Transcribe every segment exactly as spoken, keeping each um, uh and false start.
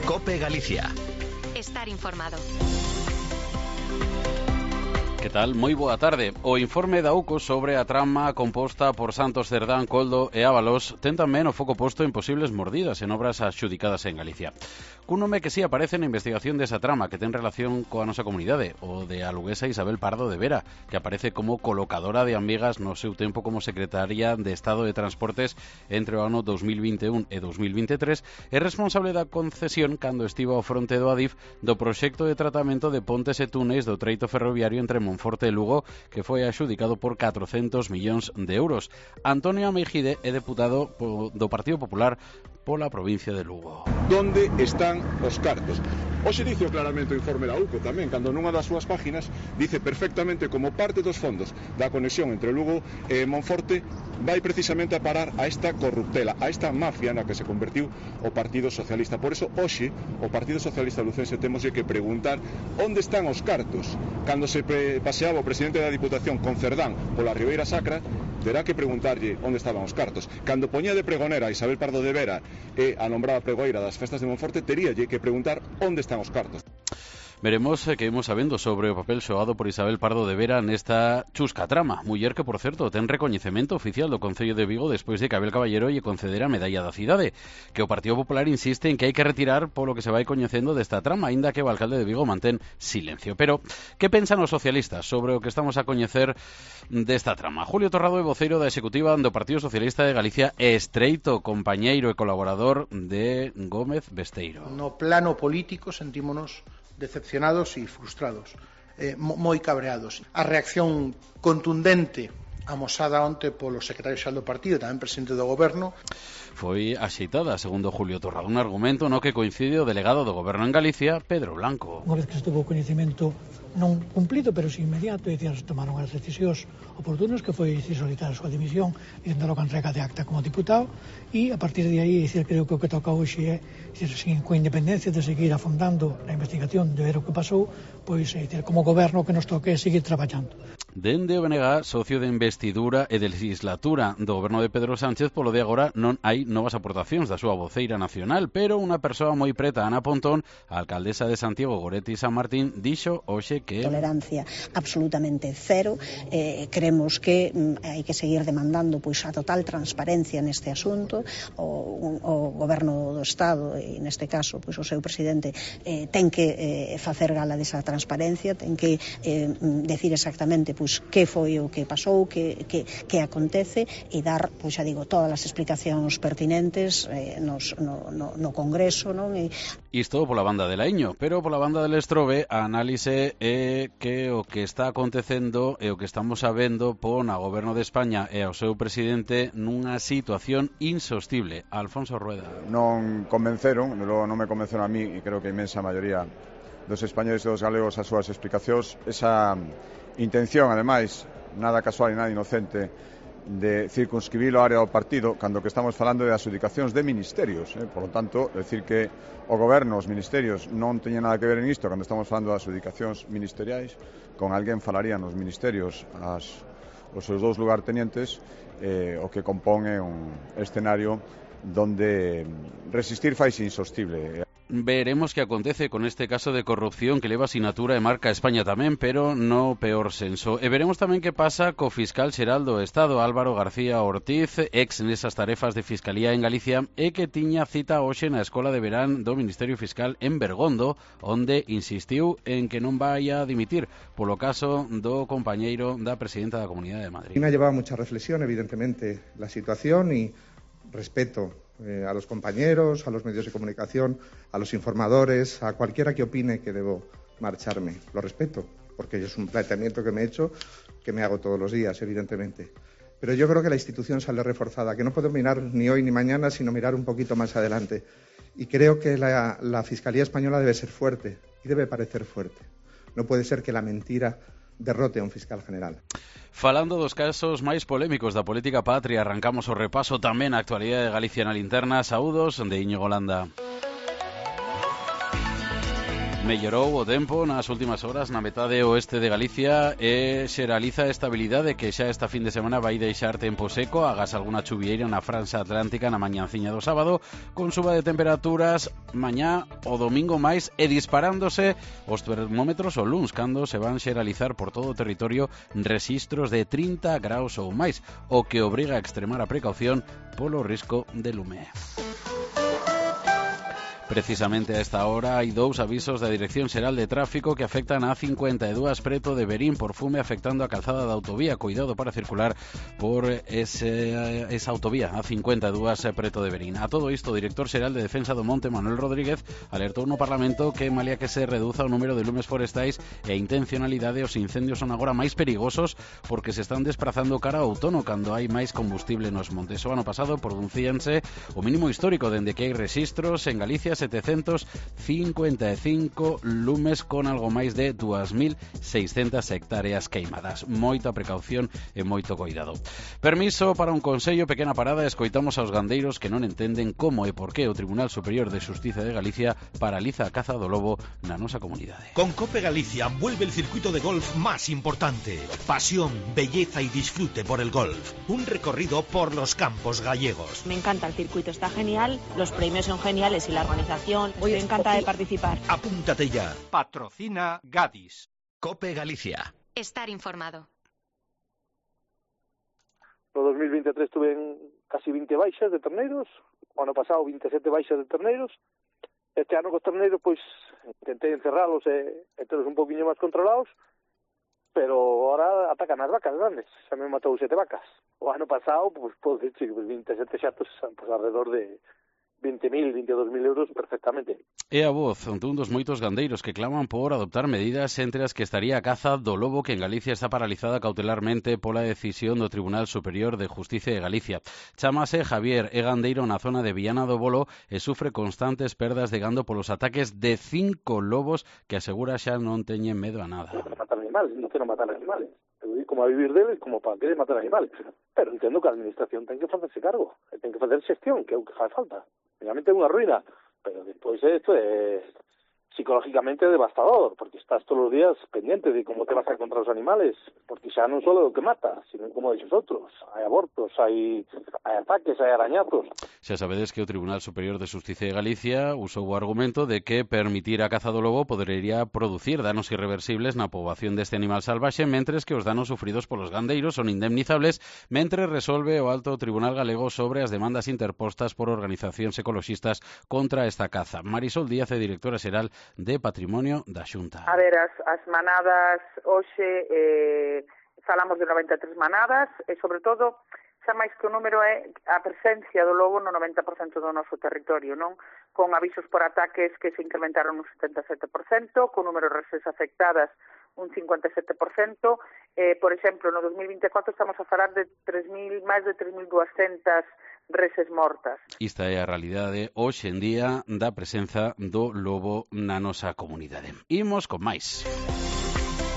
COPE Galicia. Estar informado. Que tal? Moi boa tarde. O informe da U C O sobre a trama composta por Santos Cerdán, Coldo e Ábalos ten tamén o foco posto en posibles mordidas en obras adxudicadas en Galicia. Cun nome que si sí aparece na investigación desa trama que ten relación coa nosa comunidade, o de a luguesa Isabel Pardo de Vera, que aparece como colocadora de amigas no seu tempo como secretaria de Estado de Transportes entre o ano dos mil vinte e un e dos mil vinte e tres, é responsable da concesión cando estivo ao fronte do Adif do proxecto de tratamento de pontes e túneis do treito ferroviario entre Monforte e Lugo, que foi adxudicado por catrocentos millóns de euros. Antonio Ameijide é deputado do Partido Popular pola provincia de Lugo. Donde están os cartos? Hoxe dice claramente o informe da U C O tamén, cando nunha das súas páginas dice perfectamente como parte dos fondos da conexión entre Lugo e Monforte vai precisamente a parar a esta corruptela, a esta mafia na que se convertiu o Partido Socialista. Por eso hoxe o Partido Socialista lucense temos que preguntar onde están os cartos. Cando se paseaba o presidente da Diputación con Cerdán pola Ribeira Sacra, terá que preguntarlle onde estaban os cartos. Cando poñía de pregonera a Isabel Pardo de Vera e a nombrada pregoeira das festas de Monforte, teríalle que preguntar onde están os cartos. Veremos que imos sabendo sobre o papel xoado por Isabel Pardo de Vera nesta chusca trama. Muller que, por certo, ten recoñecemento oficial do Concello de Vigo despois de que Abel Caballero lle concedera a medalla da cidade, que o Partido Popular insiste en que hai que retirar polo que se vai coñecendo desta trama, aínda que o alcalde de Vigo mantén silencio. Pero, que pensan os socialistas sobre o que estamos a coñecer desta trama? Julio Torrado é voceiro da Executiva do Partido Socialista de Galicia e estreito compañeiro e colaborador de Gómez Besteiro. No plano político sentímonos decepcionados e frustrados, eh, moi cabreados. A reacción contundente amosada onte polo secretario xeral do partido e tamén presidente do goberno foi axeitada, segundo Julio Torrado, un argumento no que coincide o delegado do goberno en Galicia, Pedro Blanco. Unha vez que se tuvo coñecemento non cumplido, pero sin inmediato, e se tomaron as decisións oportunas, que foi dicir, solicitar a súa dimisión e dar a entrega de acta como diputado, e a partir de aí, dicir, creo que o que toca hoxe é, dicir, sin, coa independencia de seguir afondando na investigación de ver o que pasou, pois, dicir, como goberno que nos toque seguir traballando. Dende o B N G, socio de investidura e de legislatura do goberno de Pedro Sánchez, polo de agora non hai novas aportacións da súa voceira nacional, pero unha persoa moi preta, Ana Pontón, a alcaldesa de Santiago, Goretti San Martín, dixo hoxe que tolerancia absolutamente cero. Eh, creemos que mm, hai que seguir demandando pois a total transparencia neste asunto. O, o goberno do Estado, e neste caso pois o seu presidente, eh, ten que eh, facer gala desa transparencia, ten que eh, decir exactamente pois que foi o que pasou, que, que, que acontece, e dar, pois xa digo, todas as explicacións pertinentes eh, nos, no, no, no Congreso, non? E isto pola banda de Laíño, pero pola banda del Estrobe a análise é que o que está acontecendo e o que estamos sabendo pon a goberno de España e ao seu presidente nunha situación insostible. Alfonso Rueda. Non convenceron, non me convenceron a mí, e creo que a inmensa maioría dos españoles e dos galegos as súas explicacións. Esa intención, ademais, nada casual e nada inocente, de circunscribir o área do partido, cando que estamos falando de adxudicacións de ministerios, eh? Por lo tanto, decir que o goberno, os ministerios, non teñen nada que ver en isto cando estamos falando de adxudicacións ministeriais, con alguén falarían os ministerios as, os seus dous lugartenientes, eh, o que compón é un escenario donde resistir faise insostible. Veremos que acontece con este caso de corrupción que leva asinatura e marca España tamén, pero no peor senso. E veremos tamén que pasa co fiscal xeral do Estado, Álvaro García Ortiz, ex nesas tarefas de Fiscalía en Galicia, e que tiña cita hoxe na Escola de Verán do Ministerio Fiscal en Bergondo, onde insistiu en que non vai a dimitir polo caso do compañeiro da presidenta da Comunidade de Madrid. Me ha llevado mucha reflexión, evidentemente, la situación, y respeto Eh, a los compañeros, a los medios de comunicación, a los informadores, a cualquiera que opine que debo marcharme. Lo respeto, porque es un planteamiento que me he hecho, que me hago todos los días, evidentemente. Pero yo creo que la institución sale reforzada, que no puedo mirar ni hoy ni mañana, sino mirar un poquito más adelante. Y creo que la, la Fiscalía Española debe ser fuerte, y debe parecer fuerte. No puede ser que la mentira derrote a un fiscal general. Falando dos casos máis polémicos da política patria, arrancamos o repaso tamén a actualidade de Galicia na linterna. Saúdos de Íñigo Landa. Mellorou o tempo nas últimas horas na metade oeste de Galicia e xeraliza a estabilidade que xa esta fin de semana vai deixar tempo seco, agas algunha chuvieira na franxa atlántica na mañanciña do sábado, con suba de temperaturas mañá o domingo máis e disparándose os termómetros o luns, cando se van xeralizar por todo o territorio rexistros de trinta graus ou máis, o que obriga a extremar a precaución polo risco de lume. Precisamente a esta hora hai dous avisos da Dirección Xeral de Tráfico que afectan a cincuenta e dúas preto de Verín por fume, afectando a calzada da autovía. Cuidado para circular por ese, esa autovía a cincuenta e dúas preto de Verín. A todo isto, o director xeral de Defensa do Monte, Manuel Rodríguez, alertou no Parlamento que malia que se reduza o número de lumes forestais e a intencionalidade, os incendios son agora máis perigosos porque se están desplazando cara ao outono cando hai máis combustible nos montes. O ano pasado producíanse o mínimo histórico dende que hai rexistros en Galicia, setecentos cincuenta e cinco lumes con algo máis de dúas mil seiscentas hectáreas queimadas. Moita precaución e moito cuidado. Permiso para un consello, pequena parada, escoitamos aos gandeiros que non entenden como e por que o Tribunal Superior de Xustiza de Galicia paraliza a caza do lobo na nosa comunidade. Con Cope Galicia vuelve el circuito de golf más importante. Pasión, belleza y disfrute por el golf. Un recorrido por los campos gallegos. Me encanta el circuito, está genial, los premios son geniales y la organización. Voy encantada de participar. Apúntate ya. Patrocina Gadis. Cope Galicia. Estar informado. No dos mil veintitrés tuve casi veinte baixas de terneiros, o ano pasado veintisiete baixas de terneiros. Este ano cos terneiros, pois, intentei encerralos e, e terlos un poquinho máis controlados, pero ahora atacan as vacas grandes. Xa me matou sete vacas. O ano pasado, pois, podo dicir que veintisiete xatos, pois, alrededor de vinte mil, veintidós mil euros perfectamente. É a voz dun dos moitos gandeiros que claman por adoptar medidas entre as que estaría a caza do lobo, que en Galicia está paralizada cautelarmente pola decisión do Tribunal Superior de Justicia de Galicia. Chámase Javier, é gandeiro na zona de Viana do Bolo e sufre constantes perdas de gando polos ataques de cinco lobos que asegura xa non teñen medo a nada. Non quero matar animales, non quero matar animales. Eu digo como a vivir deles, como para querer matar animales. Pero entendo que a administración ten que facerse cargo, ten que facer xestión, que é o que fai falta. Realmente é unha ruína, pero despois isto é psicológicamente devastador, porque estás todos os días pendiente de como te vas a encontrar os animales, porque xa non só o que mata, sino como dices outros. Hai abortos, hai, hai ataques, hai arañazos. Xa sabedes que o Tribunal Superior de Xusticia de Galicia usou o argumento de que permitir a caza do lobo podería producir danos irreversibles na poboación deste animal salvaxe, mentres que os danos sufridos polos gandeiros son indemnizables, mentre resolve o Alto Tribunal Galego sobre as demandas interpostas por organizacións ecoloxistas contra esta caza. Marisol Díaz é directora xeral de Patrimonio da Xunta. A ver, as, as manadas hoxe eh, falamos de noventa e tres manadas e sobre todo xa máis que o número é a presencia do lobo no noventa por cento do noso territorio, non? Con avisos por ataques que se incrementaron un setenta e sete por cento, con número de reses afectadas un cincuenta e sete por cento. Eh, por exemplo, no dos mil veinticuatro estamos a falar de tres mil, máis de tres mil duascentas reses mortas. Esta é a realidade hoxe en día da presenza do lobo na nosa comunidade. Imos con máis.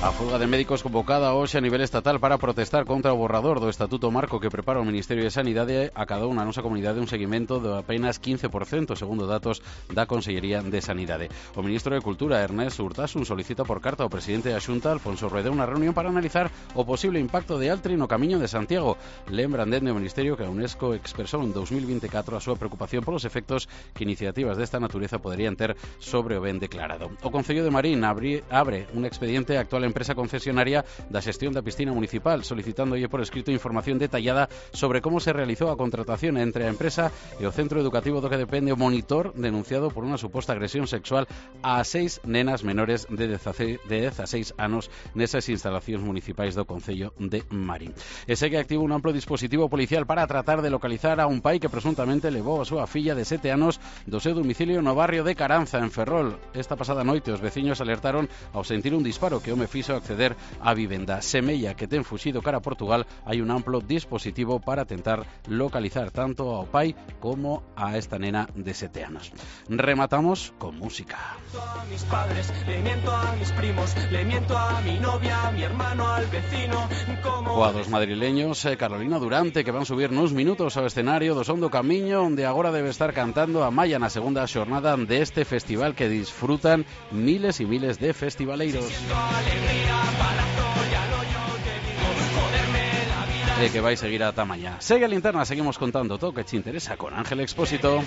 A folga de médicos convocada hoxe a nivel estatal para protestar contra o borrador do Estatuto Marco que prepara o Ministerio de Sanidade acadou na nosa comunidade un seguimento de apenas quince por cento, segundo datos da Consellería de Sanidade. O ministro de Cultura, Ernest Urtasun, solicita por carta ao presidente da Xunta, Alfonso Rueda, unha reunión para analizar o posible impacto de Altri no Camiño de Santiago. Lembran dende o Ministerio que a UNESCO expresou en dos mil veinticuatro a súa preocupación polos efectos que iniciativas desta natureza poderían ter sobre o ben declarado. O Concello de Marín abre, abre un expediente actual en empresa concesionaria da xestión da piscina municipal, solicitándolle por escrito información detallada sobre como se realizou a contratación entre a empresa e o centro educativo do que depende o monitor denunciado por unha suposta agresión sexual a seis nenas menores de dezaseis anos nesas instalacións municipais do Concello de Marín. E segue activo un amplo dispositivo policial para tratar de localizar a un pai que presuntamente levou a súa filla de sete anos do seu domicilio no barrio de Caranza, en Ferrol. Esta pasada noite os veciños alertaron ao sentir un disparo que o home fixo preciso acceder a vivenda. Semella que ten fuxido cara a Portugal, hai un amplo dispositivo para tentar localizar tanto ao pai como a esta nena de sete anos. Rematamos con música. A mis padres, le miento a mis primos, le miento a mi novia, a mi hermano, al vecino, como... Coa dos madrileños, eh, Carolina Durante, que van subir nuns minutos ao escenario do Son do Camiño, onde agora debe estar cantando a Maya na segunda xornada deste festival que disfrutan miles e miles de festivaleiros. E que vai seguir ata mañá. Segue a linterna, seguimos contando todo o que te interesa con Ángel Expósito.